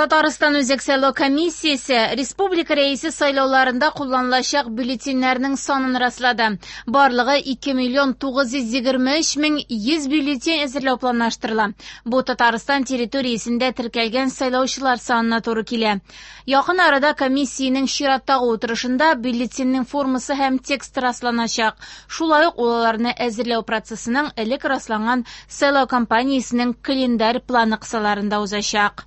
Татарстан Үзәк сайлау комиссиясе республика Рәисе сайлауларында кулланылачак бюллетеньнәрнең санын раслады. Барлыгы 2 миллион 923 мең 100 бюллетень әзерләү планлаштырыла. Бу Татарстан территориясендә теркәлгән сайлаучылар санына туры килә. Якын арада комиссиянең чираттагы утырышында бюллетеньнең формасы һәм тексты расланачак. Шулай ук ул аларны әзерләү процессының элек расланган сайлау кампаниясенең календарь планы кысаларында узачак.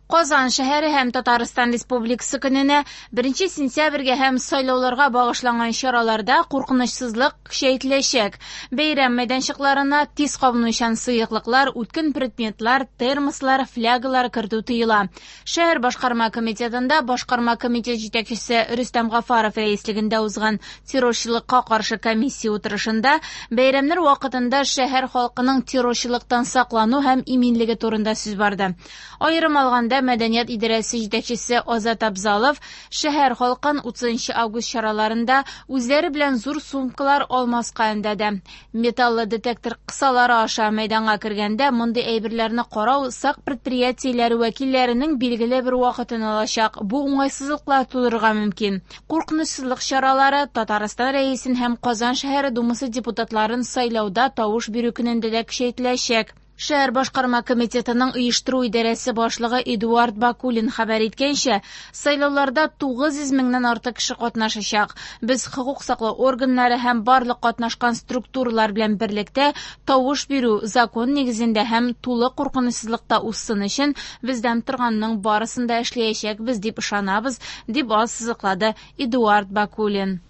Казан шәһәре һәм Татарстан Республикасы көненә 1 сентябрьгә һәм сайлауларга багышланган чараларда куркынычсызлык көчәйтеләчәк. Бәйрәм мәйданчыкларына тиз кабынучан сыеклыклар, үткен предметлар, термослар, флягалар кертү тыела. Шәһәр башкарма комитетында башкарма комитет җитәкчесе Рөстәм Гафаров рәислегендә узган террорчылыкка каршы комиссия утырышында бәйрәмнәр вакытында шәһәр халкының террорчылыктан саклану һәм иминлеге турында сүз барды. Аерым алганда, мәдәният идарәсе җитәкчесе Азат Абзалов шәһәр халкын 30 август чараларында үзләре белән зур сумкалар алмаска өндәде. Металлы детектор кысалары аша мәйданга кергәндә мондый әйберләрне карау сак предприятиеләре вәкилләренең билгеле бер вакытын алачак. Бу уңайсызлыклар тудырырга мөмкин. Куркынычсызлык чаралары Татарстан Рәисен һәм Казан шәһәре Думасы депутатларын сайлауда тавыш бирү көнендә дә көчәйтеләчәк. Шәһәр башкарма комитетының оештыру идарәсе башлыгы Эдуард Бакулин хәбәр иткәнчә, сайлауларда 900 меңнән артык кеше катнашачак. Без хокук саклау органнары һәм барлык катнашкан структуралар белән берлектә тавыш бирү закон нигезендә һәм тулы куркынычсызлыкта узсын өчен бездән торганның барысын да эшләячәкбез дип ышанабыз, дип ассызыклады Эдуард Бакулин.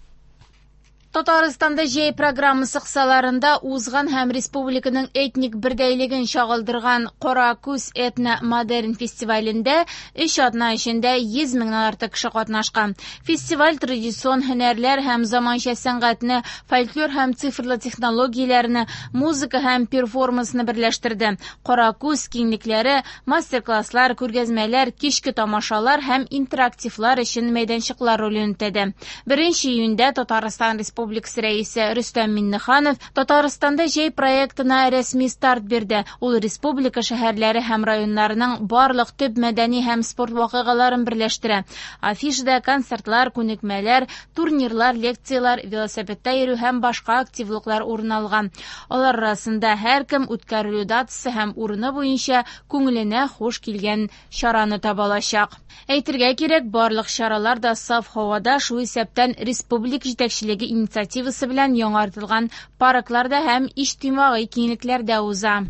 Татарстанда җәй программасы кысаларында узган һәм республиканың этник бердәйлеген чагылдырган Кара күз этно-модерн фестивалендә 3 атна эчендә 100 меңнән артык кеше катнашкан. Фестиваль традицион һөнәрләр һәм заманча сәнгатьне, фольклор һәм цифрлы технологияләрне, музыка һәм перформансны берләштерде. Кара күз киңлекләре, мастер-класслар, күргәзмәләр, кичке тамашалар һәм интерактивлар өчен мәйданчыклар ролен үтәде. 1 июньдә Татарстан Республикасы Рәисе Рөстәм Миңнеханов Татарстанда җәй проектына рәсми старт бирде. Ул республика шәһәрләре һәм районнарының барлык төп мәдәни һәм спорт вакыйгаларын берләштерә. Афишада концертлар, күнекмәләр, турнирлар, лекцияләр, велосипедта йөрү һәм башка активлыклар урын алган. Алар арасында һәркем үткәрелү датасы һәм урыны буенча күңеленә хуш килгән чараны таба алачак. Әйтергә кирәк, барлык чаралар да саф һавада, шул исәптән республика җитәкчелеге инициативасы белән яңартылган паркларда һәм иҗтимагый киңлекләрдә уза.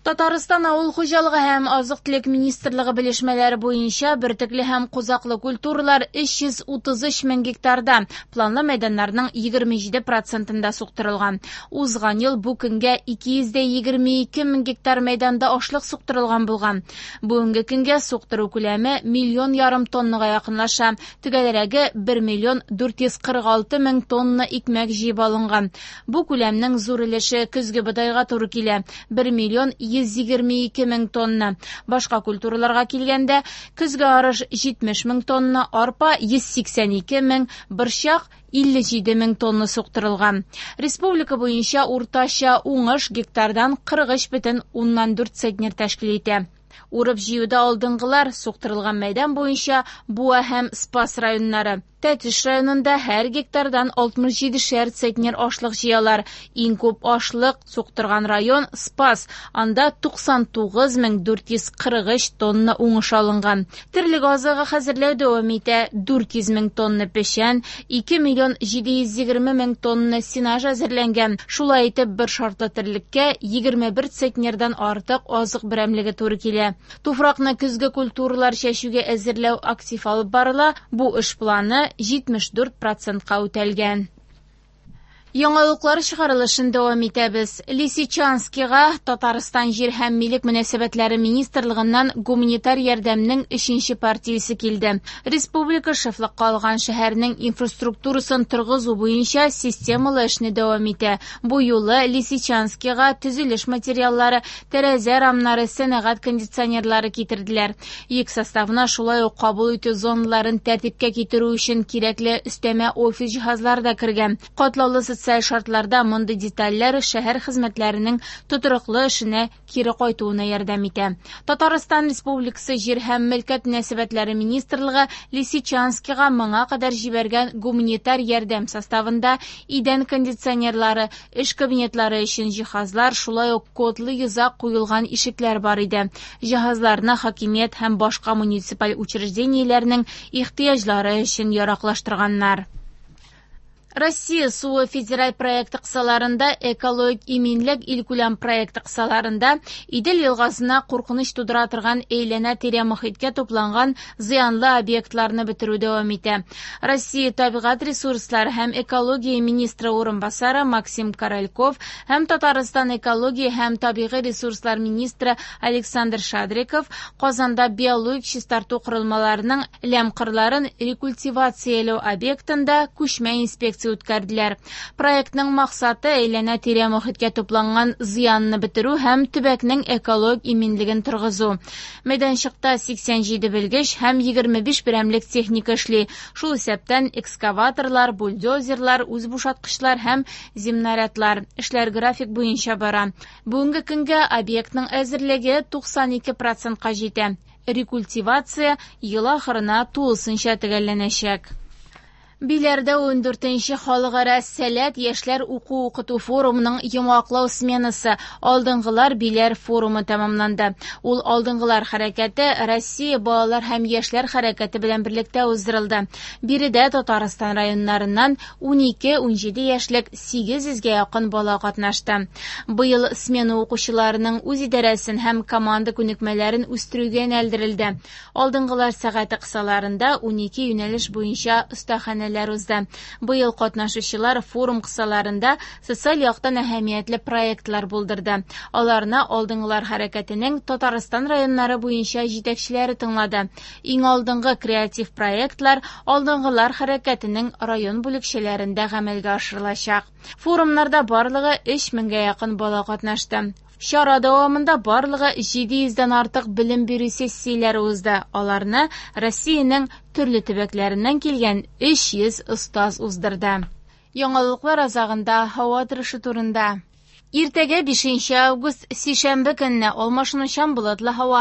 Татарстан авыл хуҗалыгы һәм азык-төлек министрлыгы белешмәләре буенча бөртекле һәм кузаклы культуралар 333 мең гектарда, планлы мәйданнарның 27%-ында суктырылган. Узган ел бу көнгә 222 мең гектар мәйданда ашлык суктырылган булган. Бүгенге көнгә суктыру күләме миллион ярым тоннага якынлаша. Төгәлрәге 1 миллион 446 мең тонна икмәк җыеп алынган. Бу күләмнең зур өлеше көзге бодайга туры килә. 1 миллион 122 мең тонна. Башка культураларга килгәндә, көзге арыш 70 мең тонна, арпа 182 мең, борчак 57 мең тонна суктырылган. Республика буенча уртача уңыш гектардан 43,4 центнер тәшкил итә. Урып җыюда алдынгылар суктырылган мәйдан буенча Буа һәм Спас районнары. Тәтеш районында һәр гектардан 67 центнер ашлык җыялар. Иң күп ашлык суктырган район Спас. Анда 99443 тонна уңыш алынган. Терлек азыгы хәзерләү дәвам итә. 400 мең тонна печән, 2 миллион 720 мең тонна сенаж әзерләнгән. Шулай итеп, бер шартлы терлеккә 21 центнердан артык азык берәмлеге туры килә. Туфракны көзге культуралар чәчүгә әзерләү актив алып барыла. Бу эш планы 74%-ка үтәлгән. Яңалыклар чыгарылышын дәвам итәбез. Лисичанскига Татарстан җир һәм милек мөнәсәбәтләре министрлыгыннан гуманитар ярдәмнең 3-нче партиясе килде. Республика шефлыкка алган шәһәрнең инфраструктурасын торгызу буенча системалы эшне дәвам итә. Бу юлы Лисичанскига төзелеш материаллары, тәрәзә рамнары, сәнәгать кондиционерлары китерделәр. Йөк составына шулай ук кабул итү зоналарын тәртипкә китерү өчен кирәкле өстәмә офис җиһазлары да кергән. Катлаулы Социаль шартларда мондый детальләр шәһәр хезмәтләренең тотрыклы эшенә кире кайтуына ярдәм итә. Татарстан Республикасы Җир һәм мөлкәт мөнәсәбәтләре министрлыгы Лисичанскига моңа кадәр җибәргән гуманитар ярдәм составында идән кондиционерлары, эш кабинетлары өчен җиһазлар, шулай ук кодлы йозак куелган ишекләр бар иде. Җиһазларны хакимият һәм башка муниципаль учреждениеләрнең ихтыяҗлары өчен яраклаштырганнар. Россия суы федераль проекты кысаларында Экологик иминлек илкүләм проекты кысаларында Идел елгасына куркыныч тудыра торган әйләнә-тирә мохиткә тупланган зыянлы объектларны бетерү дәвам итә. Россия табигать ресурслары һәм экология министры урынбасары Максим Корольков һәм Татарстан экология һәм табигый ресурслар министры Александр Шадриков Казанда биологик чистарту корылмаларының ләм кырларын рекультивацияләү объектында күчмә инспекция үткәрделәр. Проектның максаты әйләнә-тирә мохиткә тупланган зыянны бетерү һәм төбәкнең экологик иминлеген торгызу. Мәйданчыкта 87 белгеч һәм 25 берәмлек техника эшли. Шул исәптән экскаваторлар, бульдозерлар, үзбушаткычлар һәм земнарядлар. Эшләр график буенча бара. Бүгенге көнгә объектның әзерлеге 92 процентка җитә. Рекультивация ел ахырына тулысынча төгәлләнәчәк. Биләрдә 14нче халыкара Сәләт яшьләр уку-укыту форумының йомгаклау сменасы Алдынгылар Биләр форумы тәмамланды. Ул Алдынгылар хәрәкәте Россия балалар һәм яшьләр хәрәкәте белән берлектә уздырылды. Биредә Татарстан районнарыннан 12-17 яшьлек 800гә якын бала катнашты. Быел смена укучыларының үз идарәсен һәм команда күнекмәләрен үстерүгә юнәлдерелде. Алдынгылар сәгате кысаларында 12 юнәлеш буенча остаханәләр узды. Быел катнашучылар форум кысаларында социаль яктан әһәмиятле проектлар булдырды. Аларны Алдынгылар хәрәкәтенең Татарстан районнары буенча җитәкчеләре тыңлады. Иң алдынгы креатив проектлар Алдынгылар хәрәкәтенең район бүлекчәләрендә гамәлгә ашырылачак. Форумнарда барлыгы 3000гә якын бала катнашты. Чара дәвамында барлыгы 700дән артык белем бирү сессияләре узды. Аларны Россиянең төрле төбәкләреннән килгән 300 остаз уздырды. Яңалыклар азагында һава торышы турында. Иртәгә 5 август сишәмбе көнне алмашынучан болытлы һава,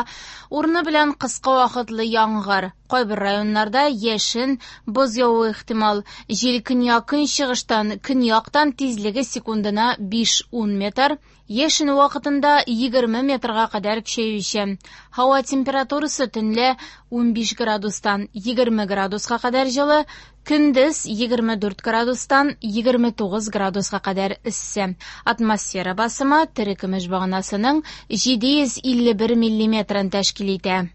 урыны белән кыска вакытлы яңгыр. Кайбер районнарда яшен, боз явуы ихтимал. Җил көньяк-көнчыгыштан, көньяктан тизлеге секундына 5-10 метр, яшен вакытында 20 метрга кадәр көчәючән. Һава температурасы төнлә 15 градустан 20 градуска кадәр җылы, көндез 24 градустан 29 градуска кадәр эссе. Атмосфера басымы терекөмеш баганасының 751 миллиметрын тәшкил итә.